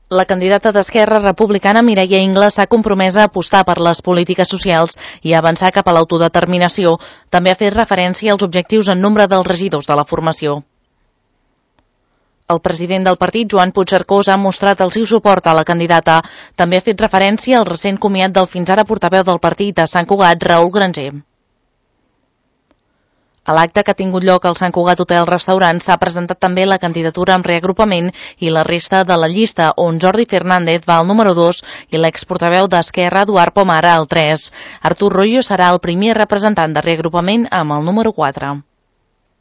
La candidata d'Esquerra Republicana, Mireia Ingles, s'ha compromès a apostar per les polítiques socials i a avançar cap a l'autodeterminació. També ha fet referència als objectius en nombre dels regidors de la formació. El president del partit, Joan Puigcercós, ha mostrat el seu suport a la candidata. També ha fet referència al recent comiat del fins ara portaveu del partit a Sant Cugat, Raül Granger. A l'acte que ha tingut lloc al Sant Cugat Hotel Restaurant s'ha presentat també la candidatura amb reagrupament i la resta de la llista, on Jordi Fernández va al número 2 i l'exportaveu d'Esquerra, Eduard Pomar, al 3. Artur Royo serà el primer representant de reagrupament amb el número 4.